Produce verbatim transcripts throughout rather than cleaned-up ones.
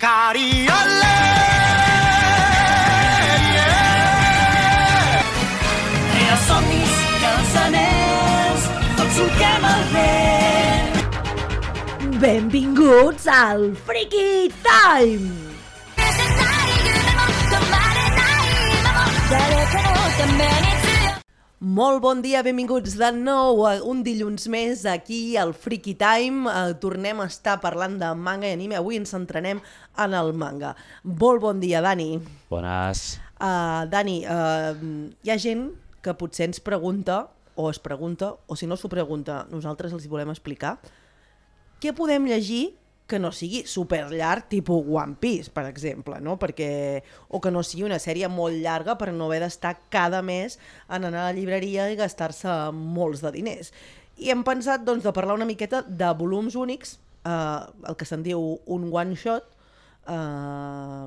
Cariole, yeah. Tria somnis, cançoners, tots solquem el vent. Benvinguts al Freaky Time! Molt bon dia, benvinguts de nou a un dilluns més aquí al Freaky Time. Uh, tornem a estar parlant de manga i anime. Avui ens centrarem en el manga. Molt bon dia, Dani. Bones. Uh, Dani, uh, hi ha gent que potser ens pregunta, o es pregunta, o si no s'ho pregunta, nosaltres els volem explicar, què podem llegir que no sigui superllarg, tipus One Piece, per exemple, no? Perquè, o que no sigui una sèrie molt llarga per no haver d'estar cada mes en anar a la llibreria i gastar-se molts de diners. I hem pensat doncs, de parlar una miqueta de volums únics, eh, el que se'n diu un one-shot, eh,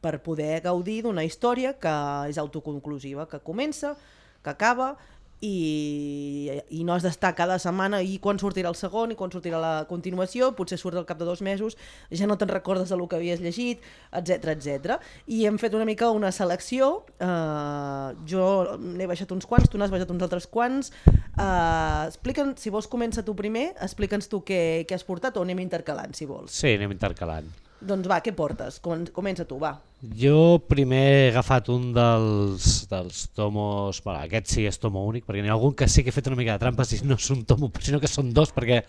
per poder gaudir d'una història que és autoconclusiva, que comença, que acaba, I, i no has d'estar cada setmana i quan sortirà el segon i quan sortirà la continuació, potser surt al cap de dos mesos, ja no te'n recordes del que havies llegit, etcètera etcètera. I hem fet una mica una selecció, eh, jo n'he baixat uns quants, tu n'has baixat uns altres quants. Eh, explica'ns, si vols comença tu primer, explica'ns tu què, què has portat o anem intercalant, si vols. Sí, anem intercalant. Doncs va, què portes? Comença tu, va. Jo primer he agafat un dels, dels tomos, bueno, aquest sí és tomo únic, perquè n'hi ha algun que sí que he fet una mica de trampes i no és un tomo, sinó que són dos, perquè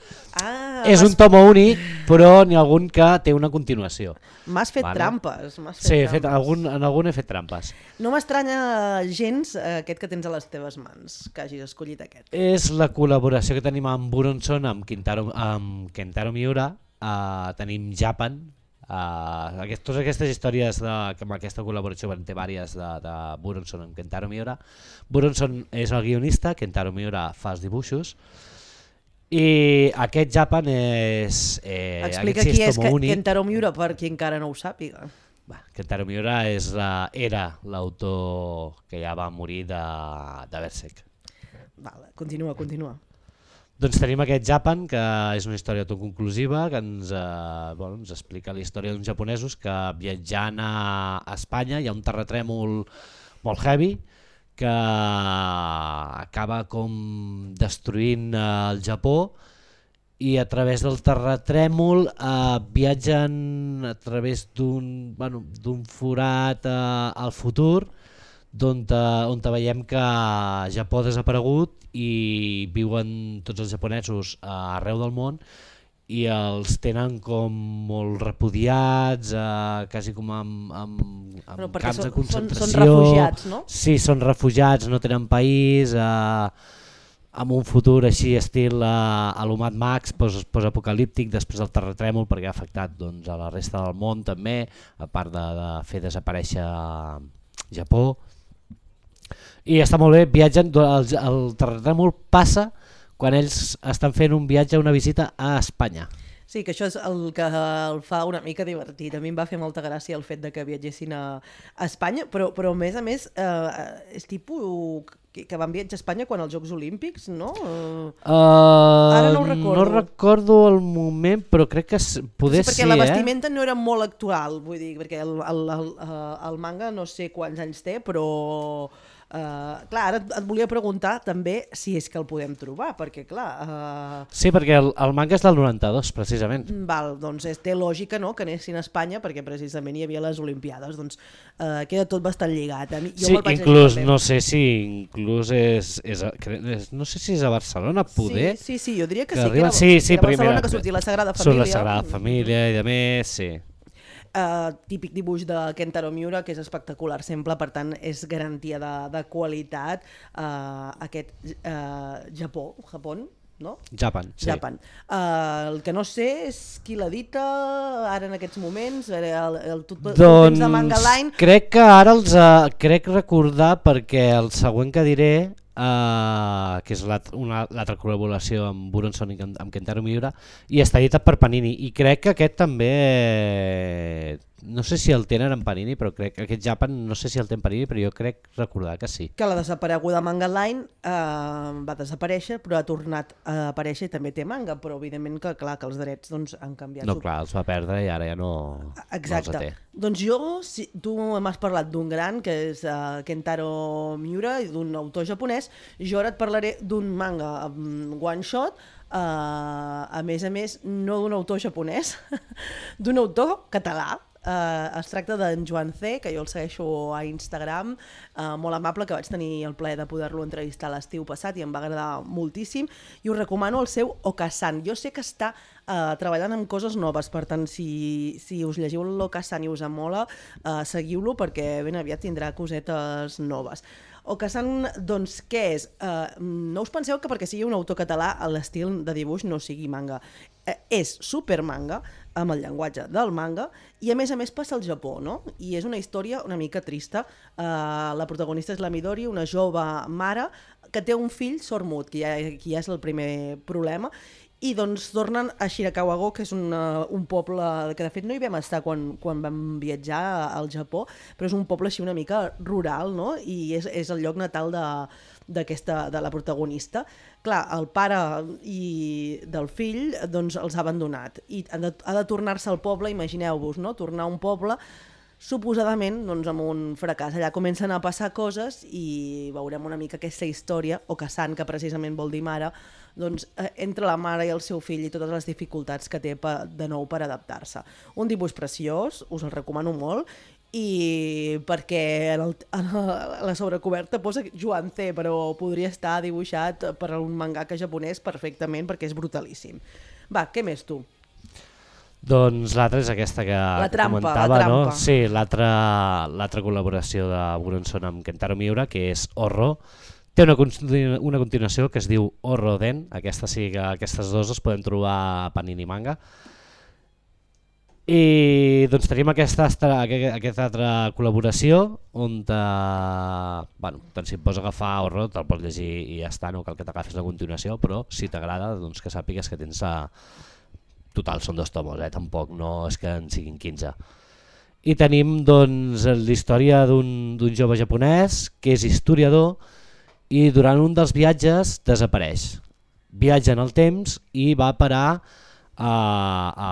ah, és un tomo únic, però n'hi ha algun que té una continuació. M'has fet vale. trampes. Fet sí, he trampes. fet, algun, en algun he fet trampes. No m'estranya gens eh, aquest que tens a les teves mans, que hagis escollit aquest. És la col·laboració que tenim amb Buronson, amb Kentaro, amb Kentaro Miura, uh, tenim Japan. Uh, aquest, totes aquestes històries de, amb aquesta col·laboració en té diverses de, de Buronson amb Kentaro Miura. Buronson és el guionista, Kentaro Miura fa els dibuixos i aquest Japan és eh, explica sí qui és és que, únic. Kentaro Miura per qui encara no ho sàpiga. Va, Kentaro Miura és la, era l'autor que ja va morir de, de Berserk. Vale, continua, continua. Doncs tenim aquest Japan, que és una història autoconclusiva, que ens, eh, bueno, ens explica la història d'uns japonesos que viatjant a Espanya hi ha un terratrèmol molt heavy que acaba com destruint eh, el Japó i a través del terratrèmol eh, viatgen a través d'un bueno, d'un forat eh, al futur on, on veiem que Japó ha desaparegut i viuen tots els japonesos arreu del món i els tenen com molt repudiats, eh, quasi com amb, amb, amb camps són, de concentració. Són, són refugiats, no? Sí, són refugiats, no tenen país, eh, amb un futur així estil eh, a lo Mad Max, post, postapocalíptic, després del terratrèmol, perquè ha afectat doncs, a la resta del món també, a part de, de fer desaparèixer Japó. I està molt bé, viatgen, el, el terratrèmol passa quan ells estan fent un viatge, una visita a Espanya. Sí, que això és el que el fa una mica divertit. A mi em va fer molta gràcia el fet de que viatgessin a, a Espanya, però, però a més a més eh, és tipus que, que van viatjar a Espanya quan els Jocs Olímpics, no? Uh, Ara no ho recordo. No recordo el moment, però crec que poder sí, perquè sí, la vestimenta eh? no era molt actual, vull dir, perquè el, el, el, el manga no sé quants anys té, però... Uh, clar, ara et volia preguntar també si és que el podem trobar, perquè clar... Uh... Sí, perquè el, el manga és del noranta-dos, precisament. Val, doncs és, té lògica, no?, que anessin a Espanya perquè precisament hi havia les Olimpiades, doncs uh, queda tot bastant lligat. A mi, jo sí, inclús, no sé si inclús és, és, és... No sé si és a Barcelona, poder... Sí, sí, sí, jo diria que, que sí, arriben, que era, sí, sí, que era primera, Barcelona, que sortia la Sagrada Família. Són la Sagrada Família i de més, sí. Uh, típic dibuix de Kentaro Miura, que és espectacular sempre, per tant és garantia de, de qualitat. Uh, aquest uh, Japó, Japó, no? Japan, sí. Japan. Uh, el que no sé és qui l'edita ara en aquests moments, el, el, el, tot, doncs, el temps de Manga Line. Crec que ara els uh, crec recordar, perquè el següent que diré, uh, que és l'altra col·laboració amb Buronson i amb Kentaro Miura, i està editat per Panini, i crec que aquest també, no sé si el tenen en Panini, però crec que aquest Japan no sé si el té en Panini, però jo crec recordar que sí. Que la desapareguda Manga Line eh, va desaparèixer, però ha tornat a aparèixer i també té manga, però evidentment que, clar, que els drets doncs, han canviat. No, clar, els va perdre i ara ja no, Exacte. no els té. Doncs jo, si, tu m'has parlat d'un gran, que és uh, Kentaro Miura, i d'un autor japonès, jo ara et parlaré d'un manga um, one shot, uh, a més a més, no d'un autor japonès, d'un autor català. Uh, es tracta d'en Joan C, que jo el segueixo a Instagram, uh, molt amable, que vaig tenir el plaer de poder-lo entrevistar l'estiu passat i em va agradar moltíssim, i us recomano el seu Okasan. Jo sé que està uh, treballant amb coses noves, per tant, si, si us llegiu l'Okasan i us amola, uh, seguiu-lo perquè ben aviat tindrà cosetes noves. Okasan, doncs, què és? Uh, no us penseu que perquè sigui un autor català l'estil de dibuix no sigui manga. Uh, és supermanga, amb el llenguatge del manga, i a més a més passa al Japó, no? I és una història una mica trista. Uh, la protagonista és la Midori, una jove mare que té un fill sordmut, que ja, que ja és el primer problema, i doncs tornen a Shirakawa-go, que és una, un poble que de fet no hi vam estar quan, quan vam viatjar al Japó, però és un poble així una mica rural, no? I és, és el lloc natal de, d'aquesta, de la protagonista. Clar, el pare i del fill doncs, els ha abandonat i ha de, ha de tornar-se al poble, imagineu-vos, no? Tornar a un poble suposadament doncs, amb un fracàs. Allà comencen a passar coses i veurem una mica aquesta història, Okasan, que precisament vol dir mare, doncs, eh, entre la mare i el seu fill i totes les dificultats que té per, de nou per adaptar-se. Un dibuix preciós, us el recomano molt, i perquè en, el, en la sobrecoberta posa Joan C, però podria estar dibuixat per un mangaka japonès perfectament perquè és brutalíssim. Va, què més tu? Doncs l'altra és aquesta que, la que trampa, comentava, la trampa. no? Sí, l'altra l'altra col·laboració de Buronson amb Kentaro Miura, que és Horror. Té una, continu una continuació que es diu Horror Den. Aquesta sí que aquestes dues es poden trobar a Panini Manga. I doncs tenim aquesta, aquesta altra col·laboració on te, bueno, tant si et pots agafar Horror, te'l pots llegir i ja està, no cal que t'agafis la continuació, però si t'agrada doncs que sàpigues que tens a... Total, són dos tomos, eh? Tampoc no és que en siguin quinze. I tenim doncs la història d'un jove japonès que és historiador i durant un dels viatges desapareix. Viatja en el temps i va parar a, a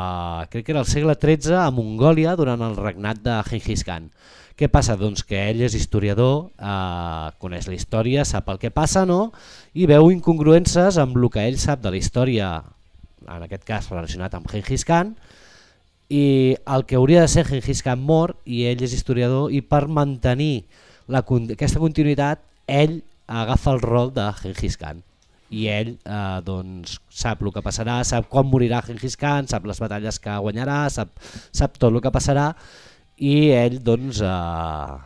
crec que era el segle tretze a Mongòlia durant el regnat de Genghis Khan. Què passa? Doncs que ell és historiador, eh, coneix la història, sap el que passa, no? I veu incongruències amb el que ell sap de la història, en aquest cas relacionat amb Genghis Khan, i el que hauria de ser Genghis Khan mor i ell és historiador i per mantenir la, aquesta continuïtat ell agafa el rol de Genghis Khan i ell eh, doncs, sap el que passarà, sap quan morirà Genghis Khan, sap les batalles que guanyarà, sap, sap tot el que passarà i ell doncs, eh,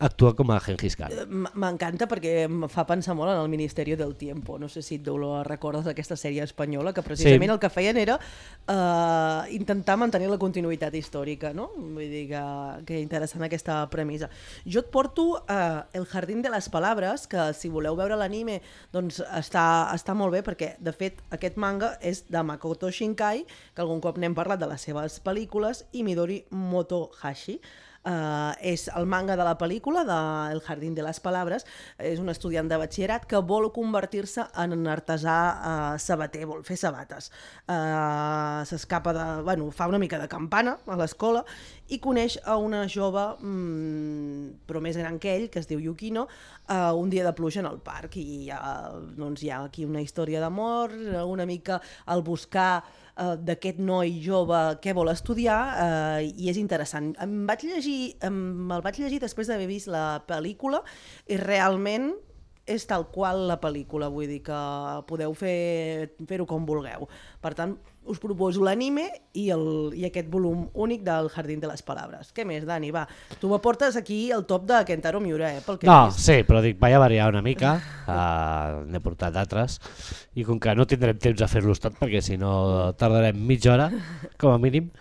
actua com a Genghis Khan. M'encanta perquè em fa pensar molt en el Ministerio del Tiempo. No sé si tu la recordes d'aquesta sèrie espanyola, que precisament sí. El que feien era uh, intentar mantenir la continuïtat històrica, no? Vull dir que, que interessant aquesta premissa. Jo et porto uh, El Jardín de les Palabres, que si voleu veure l'anime doncs està, està molt bé perquè de fet aquest manga és de Makoto Shinkai, que algun cop n'hem parlat de les seves pel·lícules, i Midori Motohashi. Uh, és el manga de la pel·lícula de El Jardín de les Palabres. És un estudiant de batxillerat que vol convertir-se en artesà uh, sabater, vol fer sabates. Uh, s'escapa de... Bueno, fa una mica de campana a l'escola i coneix a una jove mmm, però més gran que ell, que es diu Yukino, uh, un dia de pluja en el parc i uh, doncs hi ha aquí una història d'amor, una mica al buscar Uh, d'aquest noi jove què vol estudiar uh, i és interessant. Em vaig llegir, em, me'l vaig llegir després d'haver vist la pel·lícula i realment és tal qual la pel·lícula, vull dir que podeu fer, fer-ho com vulgueu. Per tant, us proposo l'anime i, el, i aquest volum únic del Jardín de les Palabres. Què més, Dani? Va, tu m'aportes aquí el top de Kentaro Miura, eh? Pel que no, sí, però dic, vaig a variar una mica, uh, n'he portat d'altres, i com que no tindrem temps a fer-los tot, perquè si no tardarem mitja hora, com a mínim,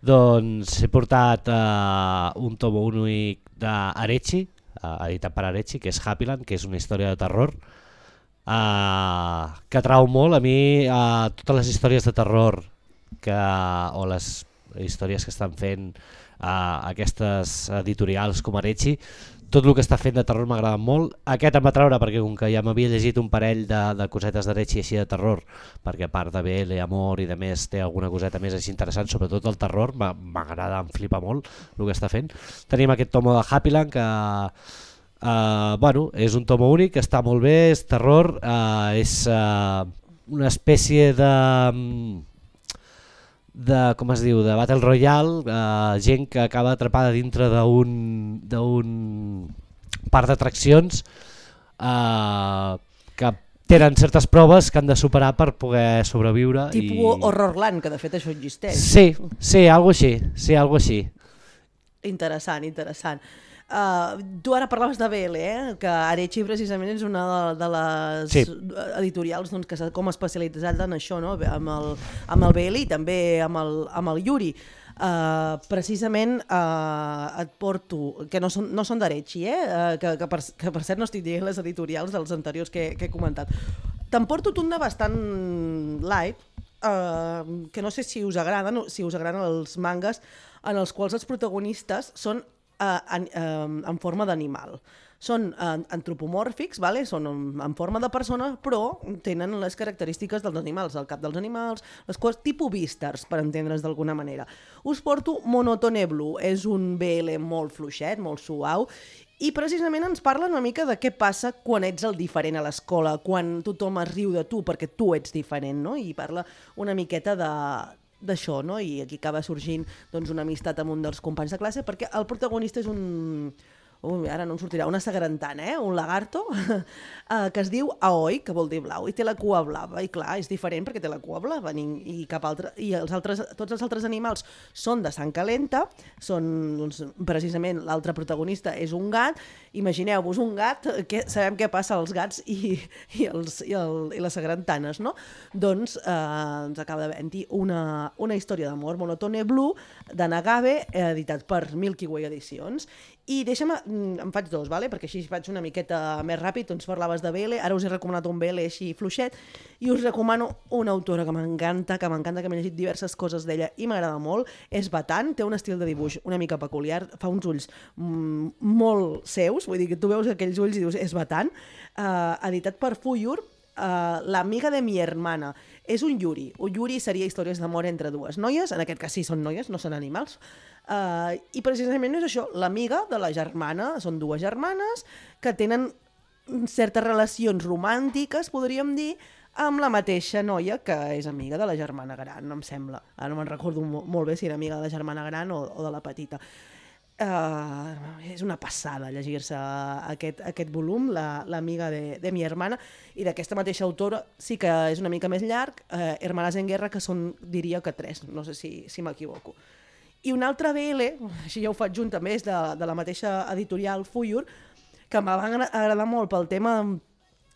doncs he portat uh, un tomo únic d'Arechi, uh, editat per Arechi, que és Happyland, que és una història de terror, Uh, que atrau molt a mi uh, totes les històries de terror que, o les històries que estan fent uh, aquestes editorials com Arechi. Tot el que està fent de terror m'ha agradat molt. Aquest em va treure perquè com que ja m'havia llegit un parell de, de cosetes d'Arechi així de terror, perquè a part de B L, Amor i de més té alguna coseta més així interessant, sobretot el terror, m'agrada, em flipa molt el que està fent. Tenim aquest tomo de Happyland que uh, bueno, és un tomo únic, està molt bé, és terror, uh, és uh, una espècie de... de, com es diu, de Battle Royale, eh, gent que acaba atrapada dintre d'un d'un parc d'atraccions eh, que tenen certes proves que han de superar per poder sobreviure. Tipo i... Horrorland, que de fet això existeix. Sí, sí, algo així, sí, algo així. Interessant, interessant. Uh, tu ara parlaves de B L, eh? Que Arechi precisament és una de, de les sí. editorials doncs, que s'ha com especialitzat en això, no? amb, el, amb el B L i també amb el, amb el Yuri. Uh, precisament uh, et porto, que no són, no són d'Arechi, eh? uh, que, que, per, que per cert no estic dient les editorials dels anteriors que, que he comentat. Te'n porto un de bastant light, uh, que no sé si us agraden, si us agraden els mangas en els quals els protagonistes són Uh, en, uh, en forma d'animal. Són uh, antropomòrfics, vale? Són en, en forma de persona, però tenen les característiques dels animals, el cap dels animals, les coses tipus Beastars, per entendre's d'alguna manera. Us porto Monotone Blue, és un B L molt fluixet, molt suau, i precisament ens parla una mica de què passa quan ets el diferent a l'escola, quan tothom es riu de tu perquè tu ets diferent, no? I parla una miqueta de... d'això, no? I aquí acaba sorgint doncs, una amistat amb un dels companys de classe perquè el protagonista és un... Ui, ara no em sortirà, una sagrantana, eh? Un lagarto uh, que es diu Aoi, que vol dir blau, i té la cua blava, i clar, és diferent perquè té la cua blava, i, i, cap altre, i els altres, tots els altres animals són de sang calenta, són, doncs, precisament l'altre protagonista és un gat, imagineu-vos un gat, que sabem què passa als gats i, i, els, i, el, i les sagrantanes, no? Doncs eh, ens acaba d'haver-hi una, una història d'amor, Monotone Blue, de Nagabe, editat per Milky Way Edicions. I deixa'm, em faig dos, vale? Perquè així faig una miqueta més ràpid, doncs parlaves de B L, ara us he recomanat un B L així fluixet, i us recomano una autora que m'encanta, que m'encanta, que m'he llegit diverses coses d'ella i m'agrada molt, és Batan, té un estil de dibuix una mica peculiar, fa uns ulls mm, molt seus, vull dir que tu veus aquells ulls i dius, és Batan, uh, editat per Fuyur, uh, l'amiga de mi hermana, és un Yuri, un Yuri seria històries d'amor entre dues noies, en aquest cas sí són noies, no són animals, Uh, i precisament és això, l'amiga de la germana, són dues germanes que tenen certes relacions romàntiques, podríem dir, amb la mateixa noia que és amiga de la germana gran, em sembla. Ara no me'n recordo molt bé si era amiga de la germana gran o, o de la petita. Uh, és una passada llegir-se aquest, aquest volum, l'amiga la, de, de mi hermana, i d'aquesta mateixa autora sí que és una mica més llarg, uh, Hermanas en Guerra, que són, diria que tres, no sé si, si m'equivoco. I un altre B L, així ja ho faig junt també, és de, de la mateixa editorial Fuyur, que em va agradar molt pel tema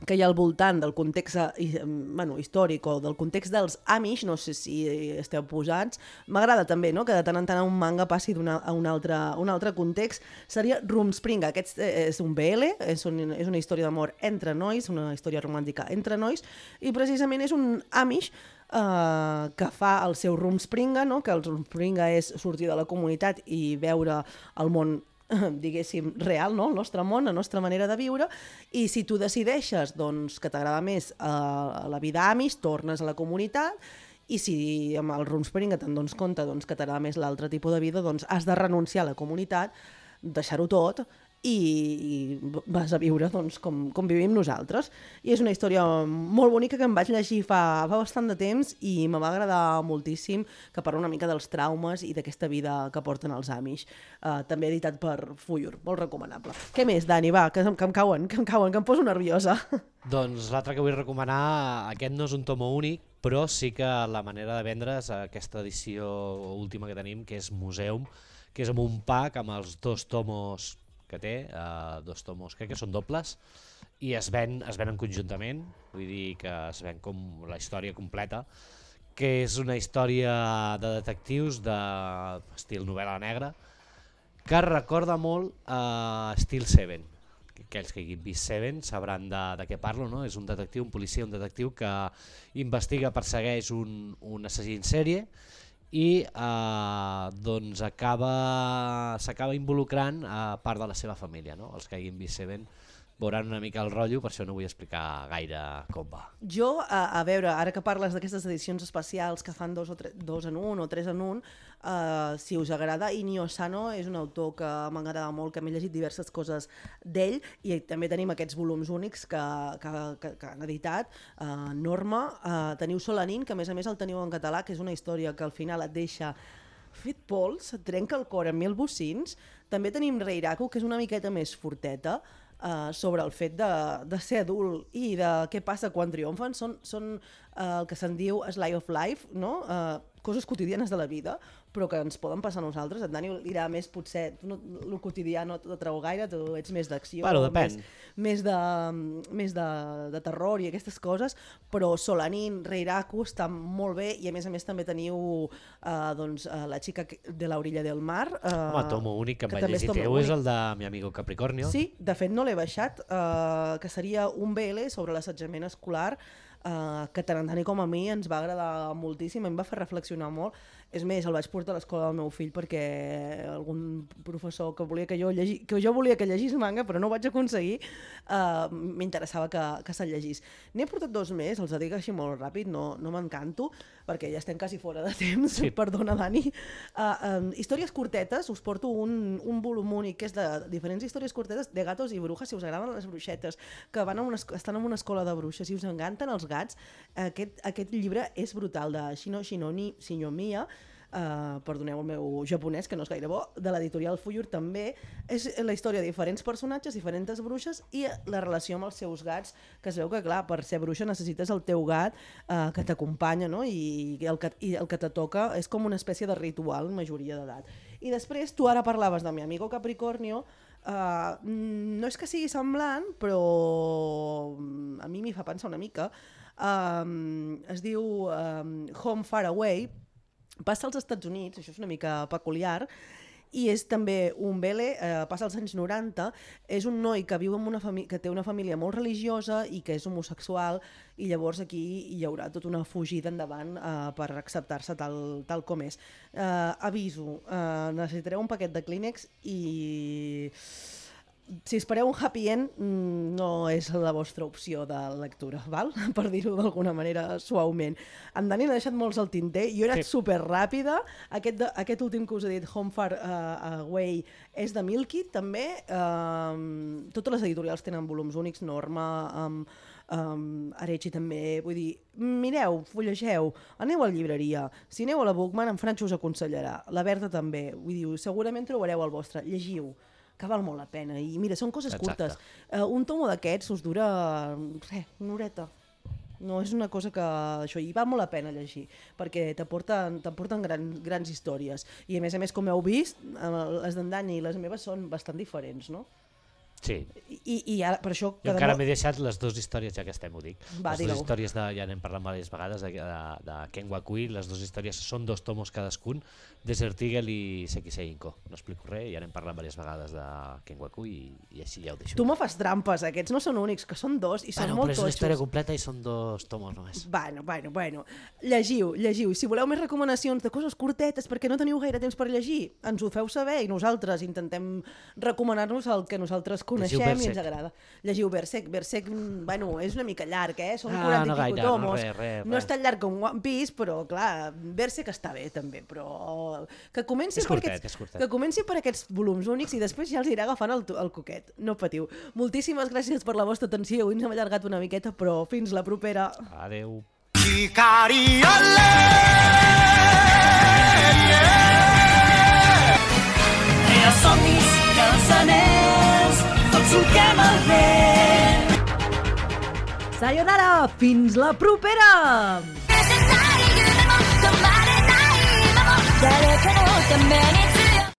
que hi ha al voltant del context bueno, històric o del context dels Amish, no sé si esteu posats. M'agrada també, no?, que de tant en tant un manga passi a un altre, un altre context. Seria Rumspringa, aquest és un B L, és, un, és una història d'amor entre nois, una història romàntica entre nois, i precisament és un Amish Uh, que fa el seu Rumspringa, no? Que el Rumspringa és sortir de la comunitat i veure el món, diguéssim, real, no? El nostre món, la nostra manera de viure, i si tu decideixes doncs, que t'agrada més uh, la vida Amish, tornes a la comunitat, i si amb el Rumspringa te'n dones compte doncs, que t'agrada més l'altre tipus de vida, doncs has de renunciar a la comunitat, deixar-ho tot, i, i vas a viure doncs, com, com vivim nosaltres. I és una història molt bonica que em vaig llegir fa, fa bastant de temps i me va agradar moltíssim, que parla una mica dels traumes i d'aquesta vida que porten els Amish. Uh, també editat per Fuyur, molt recomanable. Què més, Dani? Va, que, que em cauen, que em cauen, que em poso nerviosa. Doncs l'altre que vull recomanar, aquest no és un tomo únic, però sí que la manera de vendre's aquesta edició última que tenim, que és Museum, que és amb un pack amb els dos tomos que té, uh, dos tomos, crec que són dobles, i es ven, es venen conjuntament, vull dir que es ven com la història completa, que és una història de detectius d'estil novel·la negra, que recorda molt a uh, Steel Seven. Aquells que hagin vist Seven sabran de, de què parlo, no? És un detectiu, un policia, un detectiu que investiga, persegueix un, un assassí en sèrie i eh, doncs acaba s'acaba involucrant a part de la seva família, no? Els que hagin vist Seven veuran una mica el rotllo, per això no vull explicar gaire com va. Jo, a, a veure, ara que parles d'aquestes edicions especials que fan dos, o tre dos en un o tres en un, uh, si us agrada, Inio Asano és un autor que m'agrada molt, que m'he llegit diverses coses d'ell, i també tenim aquests volums únics que, que, que, que han editat, uh, Norma, uh, teniu Solanin, que a més a més el teniu en català, que és una història que al final et deixa fet pols, et trenca el cor amb mil bocins. També tenim Reiraku, que és una miqueta més forteta, Uh, sobre el fet de, de ser adult i de què passa quan triomfen. Són, són uh, el que se'n diu slice of life, no? Uh, coses quotidianes de la vida, però que ens poden passar a nosaltres. En Dani dirà més, potser, tu no, el quotidià no t'atreu gaire, tu ets més d'acció, bueno, més, més, de, més de, de terror i aquestes coses, però Solanin, Reiraku està molt bé, i a més a més també teniu uh, doncs, uh, La xica de la orilla del mar. Uh, Home, tomo únic que em vaig llegir teu és el de Mi amigo Capricornio. Sí, de fet no l'he baixat, uh, que seria un B L sobre l'assetjament escolar, Uh, que tant en Dani com a mi ens va agradar moltíssim, em va fer reflexionar molt. És més, el vaig portar a l'escola del meu fill perquè algun professor que volia que jo llegís, que jo volia que llegís manga, però no ho vaig aconseguir, uh, m'interessava que, que se'l llegís. N'he portat dos més, els dic així molt ràpid, no, no m'encanto, perquè ja estem quasi fora de temps, sí. Perdona, Dani. Uh, um, històries curtetes, us porto un, un volum únic que és de diferents històries curtetes de gatos i brujas, si us agraden les bruixetes, que van a una, estan en una escola de bruixes, si us encanten els gats, aquest, aquest llibre és brutal, de Shino Shinoni Shinomiya, Uh, perdoneu el meu japonès, que no és gaire bo, de l'editorial Fuyur també. És la història de diferents personatges, diferents bruixes, i la relació amb els seus gats, que es veu que, clar, per ser bruixa necessites el teu gat uh, que t'acompanya, no? I el que, i el que te toca és com una espècie de ritual, majoria d'edat. I després, tu ara parlaves de Mi amigo Capricornio, uh, no és que sigui semblant, però a mi m'hi fa pensar una mica. Um, es diu um, Home Far Away, passa als Estats Units, això és una mica peculiar, i és també un B L, eh, passa als anys noranta, és un noi que viu en una que té una família molt religiosa i que és homosexual, i llavors aquí hi haurà tota una fugida endavant eh, per acceptar-se tal, tal com és. Eh, aviso, eh, necessitareu un paquet de Kleenex i... si espereu un happy end, no és la vostra opció de lectura, val? Per dir-ho d'alguna manera suaument. En Dani n'ha deixat molts al tinter, jo he anat sí. super ràpida. Aquest, de, aquest últim que us he dit, Home Far uh, Away, és de Milky, també. Uh, totes les editorials tenen volums únics, Norma, um, um, Arechi també. Vull dir, mireu, fullegeu, aneu a la llibreria. Si aneu a la Bookman, en Francho us aconsellarà. La Berta també. Vull dir, segurament trobareu el vostre. Llegiu, que val molt la pena. I mira, són coses Exacte. curtes. Uh, un tomo d'aquests us dura, res, una horeta. No és una cosa que... Això, i val molt la pena llegir, perquè t'aporten t'aporten gran, grans històries. I a més a més, com heu vist, les d'en Dani i les meves són bastant diferents, no? Sí. I, i ara, per això... Jo encara m'he deixat les dues històries, ja que estem, ho dic. Va, les digue-ho. dues històries, de, ja n'hem parlat diverses vegades, de, de, de Ken Wakui, les dues històries són dos tomos cadascun, Desert Eagle i Sekisei Inko. No explico res, ja n'hem parlat diverses vegades de Ken Wakui i, i així ja ho deixo. Tu me fas trampes, aquests no són únics, que són dos i són bueno, molt totxos. Però és una història totxos. completa i són dos tomos només. Bueno, bueno, bueno. Llegiu, llegiu. Si voleu més recomanacions de coses curtetes perquè no teniu gaire temps per llegir, ens ho feu saber i nosaltres intentem recomanar-nos el que nosaltres coneixem i ens agrada. Llegiu Berserk. Berserk, bueno, és una mica llarg, eh? Són Ah, quaranta no i gaire, pico tomos. no, res, res, no res. és tan llarg com One Piece, però clar, Berserk està bé també, però que comenci, És per, curtet, aquests, és curtet. que comenci per aquests volums únics i després ja els irà agafant el, el coquet. No patiu. Moltíssimes gràcies per la vostra atenció. Avui ens hem allargat una miqueta, però fins la propera. Adeu. Hikari alle Era somnis i els anells tots solquem el vent. Sayonara! Fins la propera! 誰かのために